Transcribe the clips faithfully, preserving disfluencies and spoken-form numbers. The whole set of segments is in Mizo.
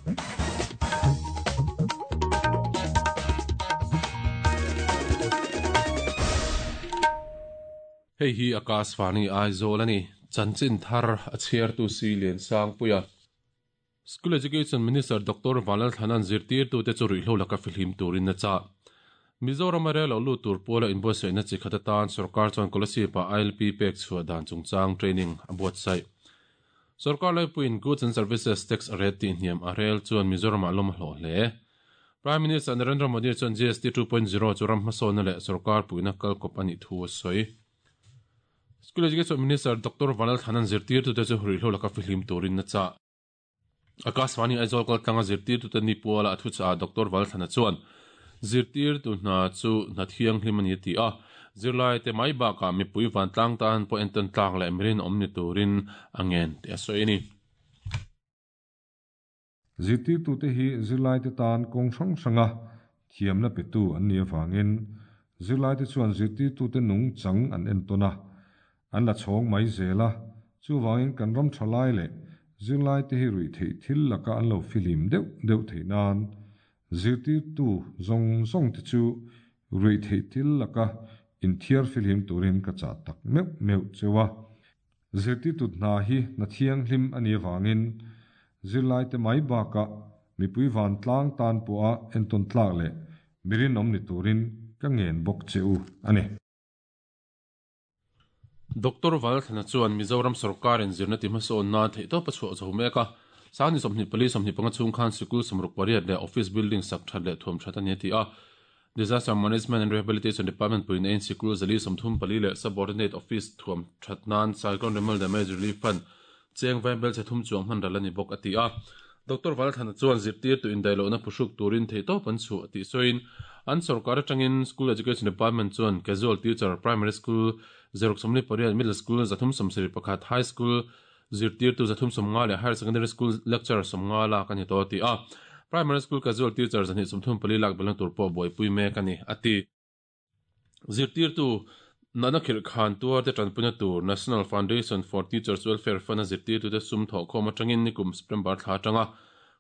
Hei hi Akashvani Aizawl ani chanchin thar a chhiar tu si lian sang puia School Education Minister Doctor Vanlal Thanan zirtir tu te chu ruihhlo laka fihlim turin na cha Mizoram a rel lo lu tur pawla inbuatsaihna chi khat atan sarkar chuan Kolasib ah I L P pek chhuah dan chungchang training a buatsaih Sarkar laipuiin Goods and Services Tax a ret tih hniam a rel chuan Mizoram ah lawm a hlawh hle Prime Minister Narendra Modi chuan G S T two point zero chu ram hmasawnna leh sarkar puihna kalkawp anih thu a sawi School Education Minister Doctor Vanlal Thanan zirtir tu te chu ruihhlo laka fihlim turin na cha Akashvani Aizawl kaltlanga zirtir tu te ni puala a thu cha Doctor Vanlal Thana chuan zirtir tu hna chu hna thianghlim ani ti a zirlai te mai bakah mipui van tlang tan pawh entawn tlak leh mirin awm ni turin a ngen ti a sawi ani Zirtir tu te hi zirlai te tan kawng hrang hranga thiamna pe tu an ni avangin zirlai te chuan zirtir tu te nung chang an entawn a an la chhawng mai zela chuwangin kan ram thalai le zirlai te hi rui thei thil laka an lo filim deuh deuh thei nan zirtir tu zong zong te chu rui thei thil laka in thiar filim turin ka cha tak meu meu chewa zirtir tu hna hi na thiang hlim ani awangin zirlai te mai baka mipui van tlang tan pawha entawn tlak leh mirin awm ni turin ka ngen bawk cheu ani Doctor Vanlal Thana chuan Mizoram sarkarin zirna ti hmasawn nan theih tawp a chhuah zo mek a sangni sawmhnih pali sawmhnih panga chhung khan sikul sawmruk pariat leh office building sak that leh thuam that ani ti a Disaster Management and Rehabilitation Department puin ein sikul zali sawmthum pali leh subordinate office thuam that nan Cyclone Remal Damage Relief Fund cheng vaibel che thum chuang hman ral ani bawk a ti a Doctor Vanlal Thana chuan zirtir tu indaihlohna phuhruk turin theih tawp an chhuah tih sawiin an sarkar atangin School Education Department chuan casual teacher primary school zeruk sawmli pariat middle school zathum sawmsarih pakhat high school zirtir tu zathum sawmnga leh higher secondary school lecturer sawmnga lak ani to ti a primary school casual teacher zahnih sawmthum pali lak belna tur pawh buaipui mek ani ati zirtir tu nana khir khan tuar te tanpuina tur National Foundation for Teachers Welfare Fund a zirtir tu te sum thaw khawm atangin nikum September thla atanga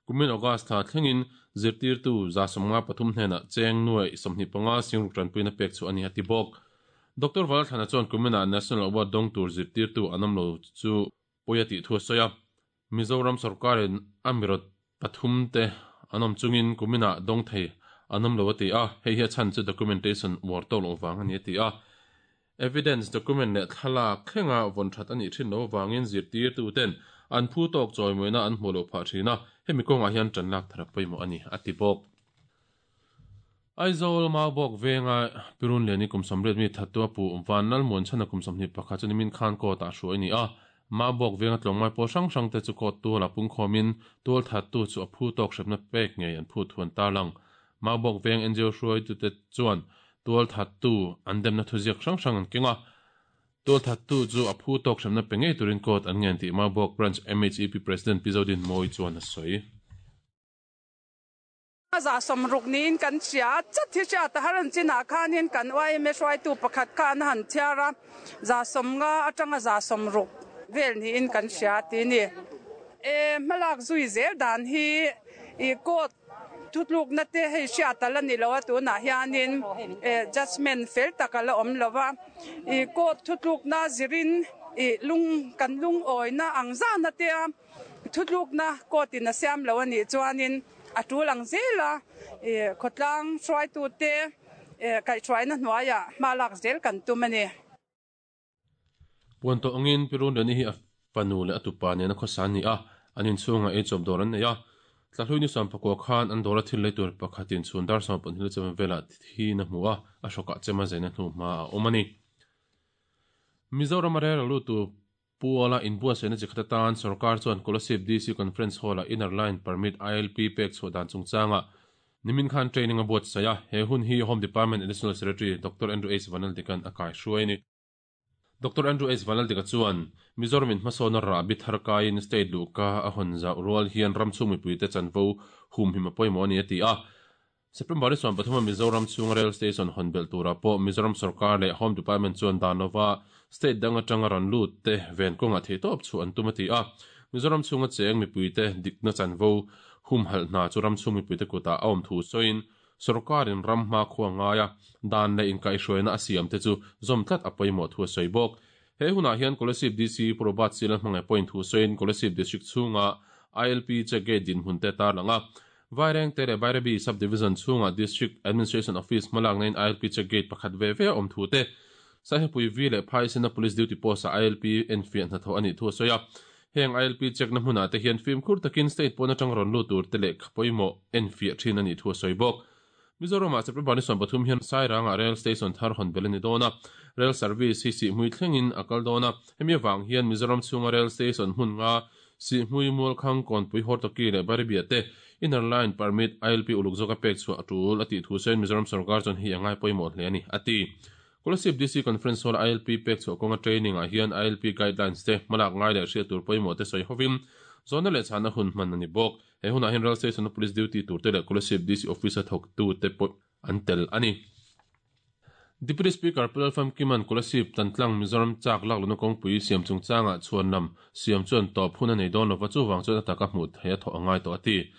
kumin August thla thlengin zirtir tu za sawmnga pathum hnenah cheng nuai sawmhnih panga singruk tanpuina pek chu ani ati bawk Doctor Vanlal Thana chuan kumina National Award dawng tur zirtir tu an awm lo chu pawi a tih thu a sawi a Mizoram sarkarin a mirot pathum te an awm chungin kumina dawng thei an awm lo a ti a hei hi a chhan chu documentation war tawk lo vang ani a ti a evidence document leh thlalak thlenga vawn that ani thin lo wangin zirtir tu ten an phu tawk chawimawiina an hmu lo phah thin a hemi kawngah hian tan lak thar pawimawh ani a ti bawk Aizawl Maubawk venga pirun liani kum sawmriat mi thattu a pu Vanlal Muanchhana kum sawmhnih pakhat chu nimin khan court ah hruai ani a Maubawk venga tlawngmai pawh hrang hrang te chu court tual a pung khawmin tual thattu chu a phu tawk hrepna pek ngei an phu thuan tarlang Maubawk veng N G O hruai tu te chuan tual thattu an demna thuziak hrang hrang an kenga tual thattu chu a phu tawk hrepna pe ngei turin court an ngen tih Maubawk branch M H E P President Pizodin Mawi chuan a sawi za somruk niin kan sia chat hi sia ta haran china khanin kan Y M S Y tu pakhat khan han thiara za somnga atanga za somruk vel niin kan sia ti ni e malak zui zel dan hi i court thutluk na te hei sia tala ni lo tu na hianin e judgment fel takala om lova i court thutluk na zirin i lung kan lung oi na angza na te thutluk na court in a siam lo ani chuanin a tulang zela e khotlang hruai tu te e kai hruai na hnuaia malak zel kan tum ani puan to angin pirun rani hi a fanu le atupa ne na khosan ni a anin chunga e chob dor an nei a tlahlui ni sam pakwa khan an dora thil leitur pakhatin chun dar sam pon hil chem vela thi na hmuwa a shoka chema zaina hnu ma a omani Mizoram a lu tu puala inbuatsaihna chi khat atan sarkar chuan Kolasib D C Conference Hall a Inner Line Permit I L P pek chhuah dan chungchanga nimin khan training a buatsaih a he hun hi Home Department Additional Secretary Doctor Andrew H Vanlaldikan a kai hruai ani Doctor Andrew H Vanlaldika chuan Mizoram in hmasawn a rah bi thar kaiin state luhka a hawn zauh rual hian ram chhung mipui te chanvo hum him a pawimawh ani a ti a September ni sawm pathum a Mizoram chhung rail station hawn belh turah pawh Mizoram sarkar leh Home Department chuan danova state dang atanga ran lut te ven kawngah theih tawp chu an tum a ti a Mizoram chhunga cheng mipui te dikna chanvo Hum hal na chu ram chumi puite kuta awm thu soin sarkarin ram ma khuwa ngaia dan le in kai hruaina a siam te chu zom tlat a pawimawh thu a sawi bawk. He huna hian Kolasib D C Probat Silan hmangai point thu soin Kolasib District chhunga I L P check gate din hun te tar langa Vaireng te le Bairabi Subdivision chhunga District Administration Office malak nain I L P check gate pakhat ve ve awm thu te Sahepui V le Phaisena Police Duty Post a I L P enfiah hna tho ani thu a sawi a. Heng I L P check na hmuna te hian film khur takin state pawna tang rawn lu tur te leh pawimawh enfiah thin ani thu a sawi bawk. Mizoram ah September ni sawm pathum hian Sairanga Rail Station thar hawn bel ani dawn a. Rail service hi si hmui thlengin a kal dawn a. Hemi awang hian Mizoram chhunga Rail Station hmun nga si hmui mual khang kawnpui Hortoki leh Bairabia te inner line permit I L P uluk zawka pek chhuah a tul a tih thu sawiin Mizoram sarkar chuan hi a ngai pawimawh hle ani a ti. Kolasib D C Conference Hall I L P pek chhuah kawnga training ah hian I L P guidelines te hmalak ngai leh hriat tur pawimawh te sawi hovin zawna leh chhana hun hman ani bawk. He hunah hian Rail Station Police Duty tur te leh Kolasib D C Office a thawk tu te pawh an tel ani. Deputy Speaker Pulal Famkiman Kolasib Tantlang Mizoram chak lak luna kawngpui siam chungchanga chhuan lam siam chuan tawp hun a nei dawn lova chuwang chuan ataka hmuh thei a thawh angai tawh a ti.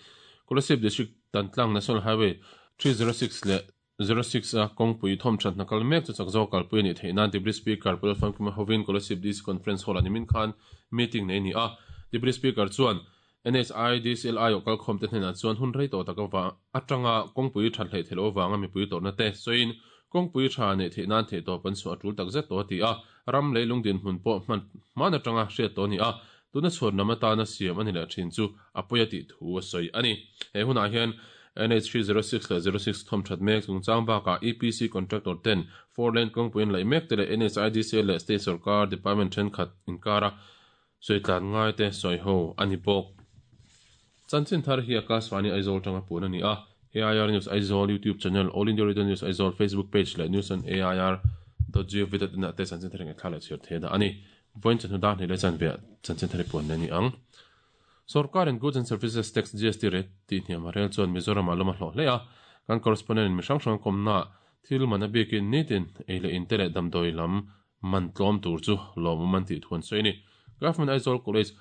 Kolasib District Tantlang National Highway three zero six leh zero six a kawngpui thawm that na kal mek chu chak zawk kalpui ani theih nan Deputy Speaker Pulal Famkima hovin Kolasib D C Conference Hall ani min khan meeting nei ni a. Deputy Speaker chuan N H I D C L I o kalkhawm te hnenah chuan hun rei tawh taka wa atanga kawngpui that hlei theilo wanga mipui tawrhna te sawiin kawngpui tha nei theih nan theih tawp an chhuah a tul tak zet tawh a ti a. Ram leilung din hmun pawh hman hman atanga hriat tawh ni a. Tuna chhuan lam atana siam ani leh thin chu a pawi a tih thu a sawi ani. He hunah hian N H three zero six leh zero six thawm that mek chungchang bakah E P C contractor ten four lane kawngpuiin laih mek te leh N H I D C L leh state sarkar department thenkhat inkara sawi tlan ngai te sawi ho ani bawk. Chanchin thar hi Akashvani Aizawl tanga pun ani a. A I R News Aizawl YouTube channel, All India Radio News Aizawl Facebook page leh news on A I R dot gov dot in ah te chanchin thar nge thla leh chhiar thei da ani. Voin chan hudan hi le chan ve chanchin thar pun ani ang. Sarkar and Goods and Services Tax G S T rate ti hniam a rel chuan Mizoram a lawm a hlawh hle a. Kan correspondent mi hrang hrang kawmna thil man a bikin nitin ei leh in te leh damdawi lam man tlawm tur chu lawm man tih thuan sawi ni. Government Aizawl College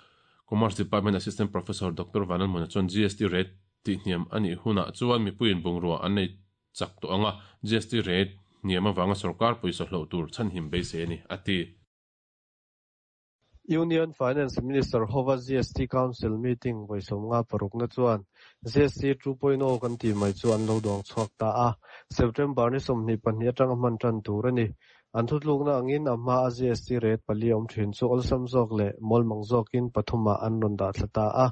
Commerce Department Assistant Professor Doctor Vanal Muna chuan G S T rate ti hniam ani huna chuan mipuiin bungrua an nei chak tawh anga G S T rate hniam awanga sarkar pawisa hlauh tur chhan him beisei ani a ti. Union Finance Minister hova G S T Council meeting vawisom nga paruk na chuan G S T two point oh kan ti mai chu an lo dawng chhuak ta a. September ni sawmhnih pahnih atanga hman tan tur ani. An thutluk na angin a hma a G S T rate pali awm thin chu awlsam zawk leh mawlmang zawkin pathuma an rawn dah thla ta a.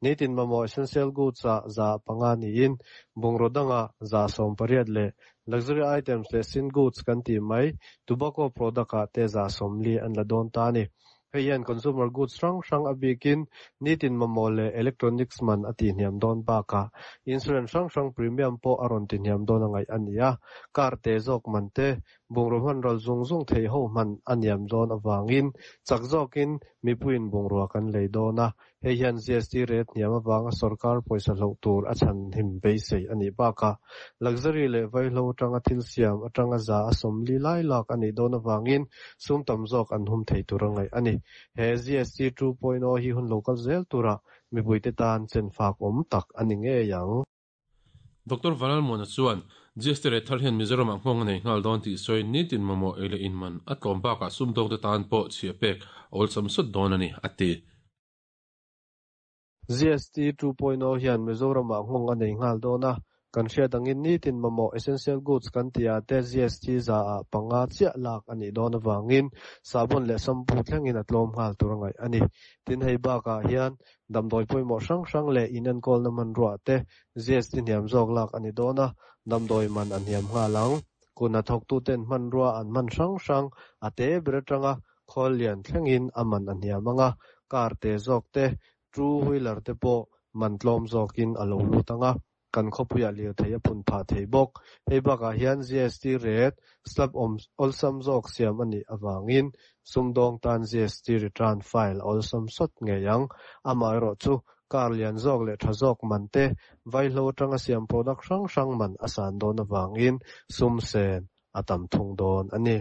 Nitin mamawh essential goods ah za panga niin bungraw danga za sawm pariat leh luxury items leh sin goods kan ti mai tobacco product ah te za sawmli an la dawn ta ani. Hei hian consumer goods hrang hrang a bikin nitin mamawh leh electronics man a ti hniam dawn bakah insurance hrang hrang premium pawh a rawn ti hniam dawn a ngaih ani a. Car te zawk man te bungraw hman ral zung zung thei ho hman a niam dawn awangin chak zawkin mipuiin bungrua kan lei dawn a. Hei hian G S T rate hniam awanga sarkar pawisa hlauh tur a chhan him beisei ani bakah luxury leh vaihlo atanga thil siam atanga za a sawmli lai lak ani dawn awangin sum tam zawk an hum thei tur a ngaih ani. He G S T two point oh hi hun local zel tura mipuite tan chen fak awm tak ani ngei ang. Doctor Vanal Muna chuan G S T rate thar hian Mizoram ah nghawng a nei nghal dawn tih sawi nitin mamawh ei leh in man a tlawm bakah sum dawng te tan pawh chhia pek awlsam sawt dawn ani a ti. G S T two point oh hian Mizoram ah nghawng a nei nghal dawn a. Kan hriat angin nitin mamawh essential goods kan ti ah te G S T za ah panga chiah lak ani dawn awangin sabun leh shampoo thlengin a tlawm nghal tur a ngaih ani. Tin hei bakah hian damdawi pawimawh hrang hrang leh in enkawl na man ruah te G S T hniam zawk lak ani dawn a. Damdawi man a hniam nghal ang. Kuna thawk tu ten hman rua an hman hrang hrang a te ber atanga khawl lian thlengin a man a hniam anga. Car te zawk te two wheeler te pawh man tlawm zawkin a lo lut anga. Kan khawpuiah lir thei a phun phah thei bawk. Hei bakah hian G S T rate slab awm awlsam zawk siam ani awangin sumdawng tan G S T return file awlsam sawt ngei ang. Amaherawh chu car lian zawk leh tha zawk man te vaihlo atanga siam product hrang hrang man a san dawn awangin sum sen a tam thung dawn ani.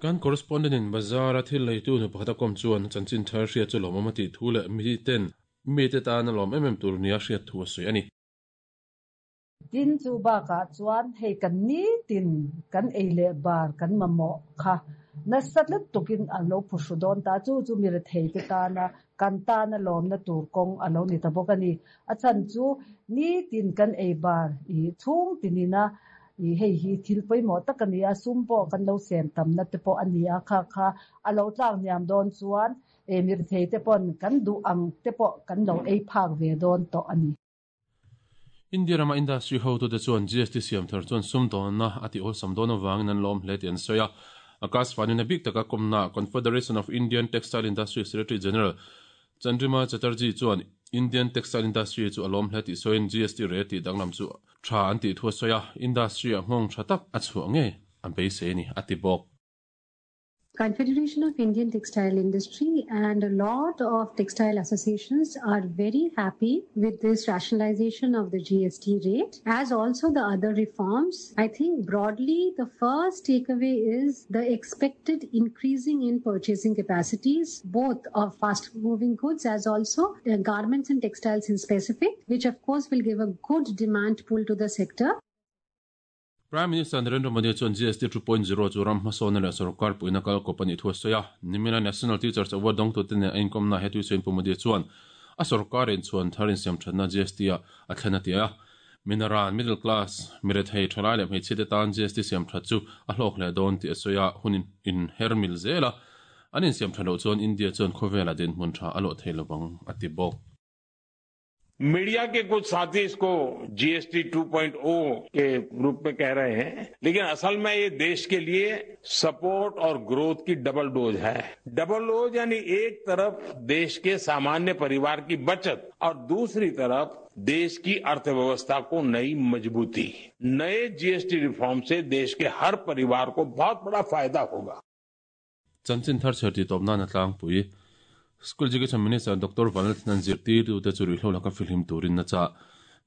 Kan correspondent in bazar a thil leitu nu pakhat a kawm chuan chanchin thar hria chu lawm awm a tih thu leh mi ten Mi te tan a lawm em em tur nia hriat thu a sawi a ni. Tin chu bakah chuan hei kan nitin kan ei leh bar kan mamawh kha nasa lutukin an lo phuhru dawn ta chu chu mi rethei te tana kan tana lawmna tur kawng a lo ni ta bawk a ni. A chhan chu nitin kan ei bar i chhung tinina i hei hi thil pawimawh tak a ni a, sum pawh kan lo sen tamna te pawh a ni a, kha kha a lo tlak hniam dawn chuan e mi rethei te pawn kan duh ang te pawh kan lo ei phak ve dawn tawh a ni. India rama industry ho tu te chuan G S T siam thar chuan sum dawnna a ti awlsam dawn awangin an lawm hle tih an sawi a. Akashvani na bik taka komna Confederation of Indian Textile Industry Secretary General Chandrima Chatterjee chuan Indian Textile Industry chu a lawm hle tih sawiin G S T rate tih danglam chu tha an tih thu a sawi a, industry a nghawng tha tak a chhuah nge a beisei ni a ti bawk. Confederation of Indian Textile Industry and a lot of textile associations are very happy with this rationalization of the G S T rate, as also the other reforms. I think broadly the first takeaway is the expected increasing in purchasing capacities, both of fast-moving goods as also the garments and textiles in specific, which of course will give a good demand pull to the sector. Prime Minister Narendra Modi chuan G S T two point zero chu ram hmasawn leh sarkar puina kal kawp ani thu a sawi a. Nimina National Teachers Award dawng tu te nen a inkom na he tui sawiin Pu Modi chuan a sarkarin chuan tharin siam thatna G S T a a thlen a ti a. Minaran middle class mirethei thalai leh hmeichhe te tan G S T siam that chu a hlawk leh dawn tih a sawi a, hunin in hermil zela an in siam that loh chuan India chuan khawvela din hmun tha a lawh thei lovang a ti bawk. Media के कुछ साथी इसको G S T two point O के रूप में कह रहे हैं, लेकिन असल में ये देश के लिए सपोर्ट और ग्रोथ की डबल डोज है। डबल डोज यानी एक तरफ देश के सामान्य परिवार की बचत और दूसरी तरफ देश की अर्थव्यवस्था को नई मजबूती। नए G S T reform से देश के हर परिवार को बहुत बड़ा फायदा होगा। चंचन थर छठी तोपना नतलांग पुई School Education Minister Doctor Vanlalthlana zirtir tu te chu ruihhlo laka filhim turin na cha.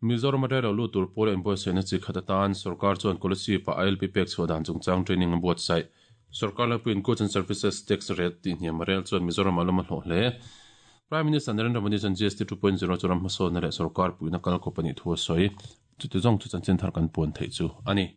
Mizoram atanga lo lut tur pawl employee sena chi khat atan sarkar chuan policy pa I L P pek chhuah dan chungchang training an buatsaih. Sarkar lapuiin Goods and Services Tax Rate tih hniam rel chuan Mizoram a lawm a hlawh hle. Prime Minister Narendra Modi chuan G S T two point zero chu ram hmasawn leh sarkar puina kal kawp ani thu a sawi. Chuti zawng chu chanchin thar kan puan theih chu ani.